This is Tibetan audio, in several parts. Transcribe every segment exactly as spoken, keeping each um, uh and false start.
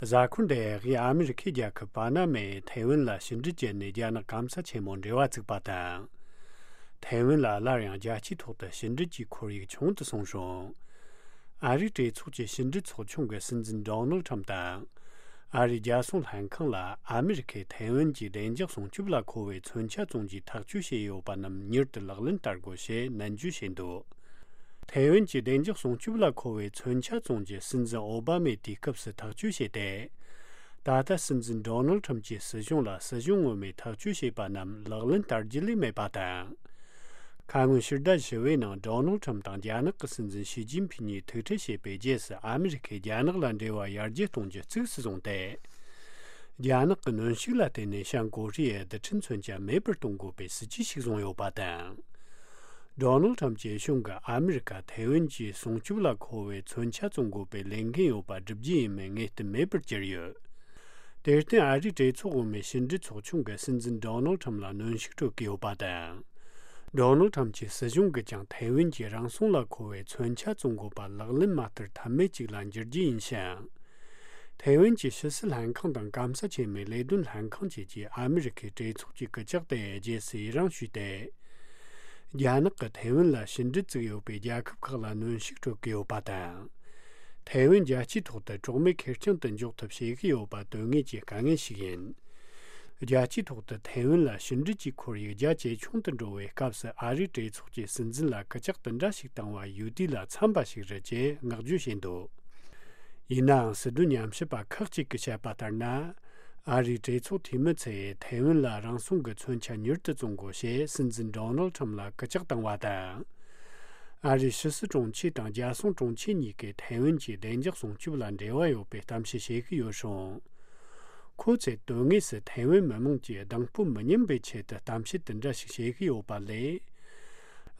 གཟའ་འཁོར་འདིའི་ཨ་མེ་རི་ཁའི་རྒྱལ་ཁབ་པ་ན་མས་ཐའེ་ཝན་ལ་ཕྱི་འབྲེལ་བཅད་ནས་རྒྱ་ནག་སྐམ་ས་ཆེན་མོ་འབྲེལ་བ་བཙུགས་པ་དང་། ཐའེ་ཝན་ལ་སླར་ཡང་རྒྱལ་སྤྱིའི་ཐོག་ཏུ་ཕྱི་འབྲེལ་གྱི་ཁོར་ཡུག་ཆུང་དུ་སོང་ཞིང་། ཨ་རིའི་གྲོས་ཚོགས་ཀྱི་ཕྱི་འབྲེལ་ཚོགས་ཆུང་གི་སྲིད་འཛིན་ཌོ་ནལ་ཁྲམ་དང་། ཨ་རིའི་རྒྱལ་སྲུང་ལྷན་ཁང་ལ་ཨ་མེ་རི་ཁས་ཐའེ་ཝན་གྱི་བདེ་འཇགས་སྲུང་སྐྱོབ་ལ་མཁོ་བའི་མཚོན་ཆ་བཙོང་རྒྱུའི་ཐག་གཅོད་བྱས་ཡོད་པ་རྣམས་མྱུར་དུ་ལག་ལེན་བསྟར་དགོས་ཞེས་ནན་བརྗོད་བྱས་འདུག་ཐའེ་ཝན་གྱི་བདེ་འཇགས་སྲུང་སྐྱོབ་ལ་མཁོ་བའི་མཚོན་ཆ་བཙོང་རྒྱུ་སྲིད་འཛིན་ཨོ་བྷ་མས་དུས་སྐབས་སུ་ཐག་གཅོད་བྱས་ཏེ། ད་ལྟ་སྲིད་འཛིན་ཌོ་ནལ་ཁྲམ་གྱི་སྲིད་གཞུང་ལ་སྲིད་གཞུང་ངོ་མས་ཐག་གཅོད་བྱས་པ་རྣམས་ལག་ལེན་བསྟར་རྒྱུ་ལས་མེད་པ་དང་། ཁ་སྔོན་ཕྱི་ཟླ་བཞི་པའི་ནང་ཌོ་ནལ་ཁྲམ་དང་རྒྱ་ནག་གི་སྲིད་འཛིན་ཞི་ཅིན་ཕིན་གཉིས་ཐུག་འཕྲད་བྱས་པའི་རྗེས་སུ་ཨ་མེ་རི་ཁས་རྒྱ་ནག་ལ་འབྲེལ་བ་ཡར་རྒྱས་གཏོང་རྒྱུ་གཙིགས་སུ་བཟུང་སྟེ། རྒྱ་ནག་གི་གནོན་ཤུགས་ལ་བརྟེན་ནས་བྱང་ཀོ་རི་ཡའི་རྡུལ་ཕྲན་མཚོན་ཆ་མེད་པར་གཏོང་དགོས་པའི་སྲིད་ཇུས་ཤིག་བཟུང་ཡོད་པ་དང་། ཌོ་ནལ་ཁྲམ་གྱི་གཞུང་གིས་ཨ་མེ་རི་ཁ་ཐའེ་ཝན་གྱི་སྲུང་སྐྱོབ་ལ་མཁོ་བའི་མཚོན་ཆ་བཙོང་དགོས་པའི་ལས་འགན་ཡོད་པ་སྒྲུབ་རྒྱུ་ཡིན་མིན་ངེས་གཏན་མེད་པར་གྱུར་ཡོད། དེར་བརྟེན་ཨ་རིའི་གྲོས་ཚོགས་འོག་མའི་ཕྱི་འབྲེལ་ཚོགས་ཆུང་གིས་སྲིད་འཛིན་ཌོ་ནལ་ཁྲམ་ལ་གནོན་ཤུགས་སྤྲོད་ཀྱི་ཡོད་པ་དང་། ཌོ་ནལ་ཁྲམ་གྱི་སྲིད་གཞུང་གིས་ཀྱང་ཐའེ་ཝན་གྱི་རང་སྲུང་ལ་མཁོ་བའི་མཚོན་ཆ་བཙོང་དགོས་པ་ལག་ལེན་མ་བསྟར་ཐབས་མེད་ཅིག་ལ་འགྱུར་རྒྱུ་ཡིན་ཞིང་། ཐའེ་ཝན་གྱི་ཕྱི་སྲིད་ལྷན་ཁང་དང་སྐམ་ས་ཆེན་མོའི་ལས་དོན་ལྷན་ཁང་བཅས་ཀྱིས་ཨ་མེ་རི་ཁའི་གྲོས་ཚོགས་ཀྱི་སྐུལ་ལྕག་དེ་རྗེས་སུ་ཡི་རང་ཞུས་ཏེ། རྒྱ་ནག་གིས་ཐའེ་ཝན་ལ་ཕྱི་འབྲེལ་བཙུགས་ཡོད་པའི་རྒྱལ་ཁབ་ཁག་ལ་གནོན་ཤུགས་སྤྲོད་ཀྱི་ཡོད་པ་དང་། ཐའེ་ཝན་རྒྱལ་སྤྱིའི་ཐོག་ཏུ་གྲོགས་མེད་ཁེར་རྐྱང་དུ་འཇོག་ཐབས་བྱེད་ཀྱི་ཡོད་པ་དོན་དངོས་ཀྱི་དཀའ་ངལ་ཞིག་ཡིན། རྒྱལ་སྤྱིའི་ཐོག་ཏུ་ཐའེ་ཝན་ལ་ཕྱི་འབྲེལ་གྱི་ཁོར་ཡུག་རྒྱ་ཇེ་ཆུང་དུ་འགྲོ་བའི་སྐབས་སུ་ཨ་རིའི་གྲོས་ཚོགས་ཀྱི་སྲིད་འཛིན་ལ་སྐུལ་ལྕག་དེ་འདྲ་ཞིག་བཏང་བ་ཡུལ་དུས་ལ་འཚམ་པ་ཞིག་རེད་ཅེས་བསྔགས་བརྗོད་བྱས་འདུག་ཡིན་ནའང་སྲིད་དོན་ཉམས་ཞིབ་པ་ཁག་ཅིག་གིས་བཤད་པ་ལྟར་ན། ཨ་རིའི་གྲོས་ཚོགས་འཐུས་མི་ཚོས་ཐའེ་ཝན་ལ་རང་སྲུང་གི་མཚོན་ཆ་མྱུར་དུ་བཙོང་དགོས་ཞེས་སྲིད་འཛིན་ཌོ་ནལ་ཁྲམ་ལ་སྐུལ་ལྕག་བཏང་བ་དང་། ཨ་རིའི་ཕྱི་སྲིད་དྲུང་ཆེ་དང་རྒྱལ་སྲུང་དྲུང་ཆེ་གཉིས་ཀས་ཐའེ་ཝན་གྱི་བདེ་འཇགས་སྲུང་སྐྱོབ་ལ་འབྲེལ་བ་ཡོད་པའི་གཏམ་བཤད་བྱེད་ཀྱི་ཡོད་རུང་། ཁོ་ཚོས་དོན་དངོས་སུ་ཐའེ་ཝན་མི་དམངས་ཀྱི་གདིང་སྤོབས་མི་ཉམས་པའི་ཆེད་དུ་གཏམ་བཤད་དེ་འདྲ་ཞིག་བྱེད་ཀྱི་ཡོད་པ་ལས།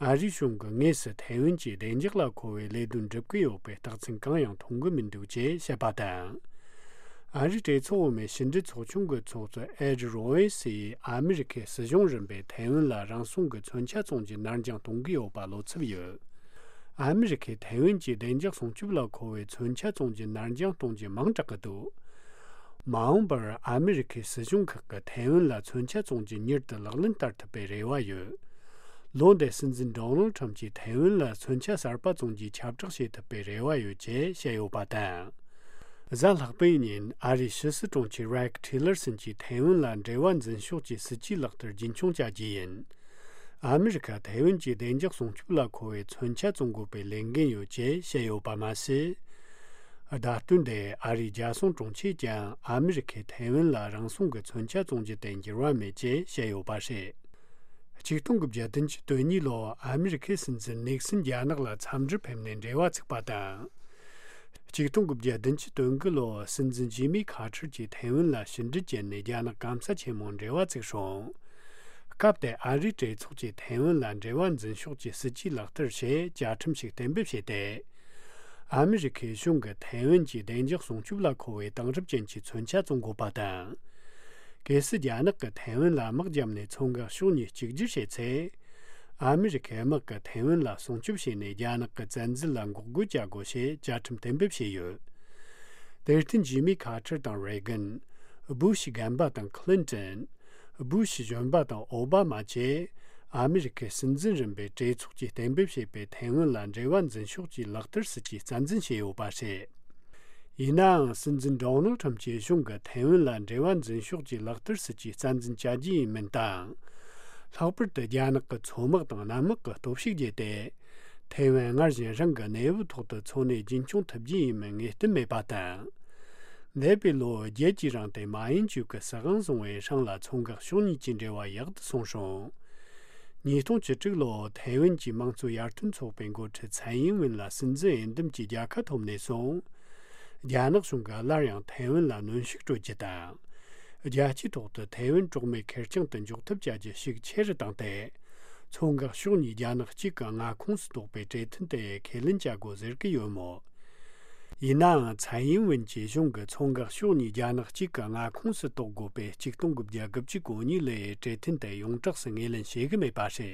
ཨ་རིའི་གཞུང་གིས་དངོས་སུ་ཐའེ་ཝན་གྱི་བདེ་འཇགས་ལ་མཁོ་བའི་ལས་དོན་སྒྲུབ་ཀྱི་ཡོད་པའི་རྟགས་མཚན་གང་ཡང་མཐོང་གི་མི་འདུག་ཅེས་བཤད་པ་དང་། ཨ་རིའི་གྲོས་ཚོགས་འོག་མའི་ཕྱི་འབྲེལ་ཚོགས་ཆུང་གི་ཚོགས་གཙོ་ཨེ་ཌི་རོ་ཨེ་སི་ཡིས་ཨ་མི་རི་ཁའི་སྲིད་གཞུང་རིམ་པས་ཐའེ་ཝན་ལ་རང་སྲུང་གི་མཚོན་ཆ་བཙོང་རྒྱུ་ནར་འགྱངས་གཏོང་གི་ཡོད་པ་བློ་འཚབ་ཡོད། ཨ་མི་རི་ཁས་ཐའེ་ཝན་གྱི་བདེ་འཇགས་སྲུང་སྐྱོབ་ལ་མཁོ་བའི་མཚོན་ཆ་བཙོང་རྒྱུ་ནར་འགྱངས་གཏོང་རྒྱུ་མང་དྲགས་ཀྱི་འདུག་མ་འོངས་པར་ཨ་མི་རི་ཁའི་སྲིད་གཞུང་ཁག་གིས་ཐའེ་ཝན་ལ་མཚོན་ཆ་བཙོང་རྒྱུ་མྱུར་དུ་ལག་ལེན་བསྟར་ཐུབ་པའི་རེ་བ་ཡོད། ལོ་འདིའི་སྲིད་འཛིན་ཌོ་ནལ་ཁྲམ་གྱིས་ཐའེ་ཝན་ལ་མཚོན་ཆ་གསར་པ་བཙོང་རྒྱུའི་ཁྱབ་བསྒྲགས་བྱེད་ཐུབ་པའི་རེ་བ་ཡོད་ཅེས་བཤད་ཡོད་པ་དང་། གཟའ་ལྷག་པའི་ཉིན་ཨ་རིའི་ཕྱི་སྲིད་དྲུང་ཆེ་རེག་ཊི་ལར་སན་གྱིས་ཐའེ་ཝན་ལ་འབྲེལ་བ་འཛིན་ཕྱོགས་ཀྱི་སྲིད་ཇུས་ལག་བསྟར་རྒྱུན་འཁྱོངས་བྱ་རྒྱུ་ཡིན། ཨ་མི་རི་ཁ་ཐའེ་ཝན་གྱི་བདེ་འཇགས་སྲུང་སྐྱོབ་ལ་མཁོ་བའི་མཚོན་ཆ་བཙོང་དགོས་པའི་ལས་འགན་ཡོད་ཅེས་བཤད་ཡོད་པ་མ་ཟད། བརྡ་སྟོན་དེ་ཨ་རིའི་རྒྱལ་སྲུང་དྲུང་ཆེས་ཀྱང་ཨ་མི་རི་ཁས་ཐའེ་ཝན་ལ་རང་སྲུང་གི་མཚོན་ཆ་བཙོང་རྒྱུ་དེ་འགྱུར་བ་མེད་ཅེས་བཤད་ཡོད་པ་རེད། ཆིག་སྟོང་དགུ་བརྒྱ་བདུན་ཅུ་དོན་གཉིས་ལོར་ཨ་མི་རི་ཁའི་སྲིད་འཛིན་ནིག་སན་རྒྱ་ནག་ལ་འཚམས་འདྲིར་ཕེབས་ནས་འབྲེལ་བ་བཙུགས་པ་དང་། ཆིག་སྟོང་དགུ་བརྒྱ་བདུན་ཅུ་དོན་དགུ་ལོར་སྲིད་འཛིན་ཇི་མི་ཁ་ཊར་གྱིས་ཐའེ་ཝན་ལ་ཕྱི་འབྲེལ་བྱས་ནས་རྒྱ་ནག་སྐམ་ས་ཆེན་མོ་འབྲེལ་བ་བཙུགས་རུང་། སྐབས་དེར་ཨ་རིའི་གྲོས་ཚོགས་ཀྱིས་ཐའེ་ཝན་ལ་འབྲེལ་བ་འཛིན་ཕྱོགས་ཀྱི་སྲིད་ཇུས་ལག་བསྟར་ཞེས་བཅའ་ཁྲིམས་ཤིག་གཏན་འབེབས་བྱས་ཏེ། ཨ་མི་རི་ཁའི་གཞུང་གིས་ཐའེ་ཝན་གྱི་བདེ་འཇགས་སྲུང་སྐྱོབ་ལ་མཁོ་བའི་དེང་རབས་ཅན་གྱི་མཚོན་ཆ་བཙོང་དགོས་པ་དང་། གལ་སྲིད་རྒྱ་ནག་གིས་ཐའེ་ཝན་ལ་དམག་བརྒྱབ་ནས་མཚོ་འགག་ཕྱོགས་གཉིས་གཅིག་གྱུར་བྱས་ཚེ། ཨ་མི་རི་ཁའི་དམག་གིས་ཐའེ་ཝན་ལ་སྲུང་སྐྱོབ་བྱས་ནས་རྒྱ་ནག་གི་བཙན་འཛུལ་ལ་འགོག་རྒོལ་བྱ་དགོས་ཞེས་བཅའ་ཁྲིམས་གཏན་འབེབས་བྱས་ཡོད། དེར་བརྟེན་ཇི་མི་ཁ་ཊར་དང་རེ་གན། སྦུ་ཤི་རྒན་པ་དང་ཁི་ལིན་ཏོན། སྦུ་ཤི་གཞོན་པ་དང་ཨོ་བྷ་མ་བཅས་ཨ་མི་རི་ཁའི་སྲིད་འཛིན་རིམ་པའི་གྲོས་ཚོགས་ཀྱིས་གཏན་འབེབས་བྱས་པའི་ཐའེ་ཝན་ལ་འབྲེལ་བ་འཛིན་ཕྱོགས་ཀྱི་ལག་བསྟར་སྲིད་ཇུས་རྩ་འཛིན་བྱས་ཡོད་པ་རེད། ཡིན་ནའང་སྲིད་འཛིན་ཌོ་ནལ་ཁྲམ་གྱི་གཞུང་གིས་ཐའེ་ཝན་ལ་འབྲེལ་བ་འཛིན་ཕྱོགས་ཀྱི་ལག་བསྟར་སྲིད་ཇུས་རྩ་འཛིན་བྱ་རྒྱུ་ཡིན་མིན་དང་། ལྷག་པར་དུ་རྒྱ་ནག་གི་མཚོ་དམག་དང་གནམ་དམག་གི་སྟོབས་ཤུགས་བརྒྱུད་དེ། ཐའེ་ཝན་སྔར་བཞིན་རང་གི་གནས་བབ་ཐོག་ཏུ་འཚོ་གནས་རྒྱུན་འཁྱོངས་ཐུབ་རྒྱུ་ཡིན་མིན་ངེས་གཏན་མེད་པ་དང་། འདས་པའི་ལོ་བརྒྱད་ཀྱི་རིང་དེ་མ་ཡིན་ཅུས་ཀྱི་སྲིད་དབང་བཟུང་བའི་སྲང་ལ་མཚོ་འགག་ཕྱོགས་གཉིས་ཀྱི་འབྲེལ་བ་ཡག་ཏུ་སོང་རུང་། ཉིས་སྟོང་བཅུ་དྲུག་ལོར་ཐའེ་ཝན་གྱི་དམངས་གཙོ་ཡར་ཐོན་ཚོགས་པའི་འགོ་ཁྲིད་ཚན་ཡིན་ཝིན་ལ་སྲིད་འཛིན་འོས་འདེམས་ཀྱི་རྒྱལ་ཁ་ཐོབ་ནས་བཟུང་། རྒྱ་ནག་གཞུང་གིས་སླར་ཡང་ཐའེ་ཝན་ལ་གནོན་ཤུགས་སྤྲོད་རྒྱུ་དང་། རྒྱལ་སྤྱིའི་ཐོག་ཏུ་ཐའེ་ཝན་གྲོགས་མེད་ཁེར་རྐྱང་དུ་འཇོག་ཐབས་བྱ་རྒྱུ་ཤུགས་ཆེ་རུ་བཏང་སྟེ། མཚོ་འགག་ཕྱོགས་གཉིས་རྒྱ་ནག་གཅིག་གི་མངའ་ཁོངས་སུ་གཏོགས་པའི་གྲོས་མཐུན་དེ་ཁས་ལེན་བྱ་དགོས་ཟེར་གྱི་ཡོད་མོད། ཡིན་ནའང་ཚན་ཡིན་ཝིན་གྱི་གཞུང་གིས་མཚོ་འགག་ཕྱོགས་གཉིས་རྒྱ་ནག་གཅིག་གི་མངའ་ཁོངས་སུ་གཏོགས་དགོས་པའི་ཆིག་སྟོང་དགུ་བརྒྱ་དགུ་བཅུ་གོ་གཉིས་ལོའི་གྲོས་མཐུན་དེ་ཡོངས་གྲགས་སུ་ངོས་ལེན་བྱེད་ཀྱི་མེད་པ་རེད།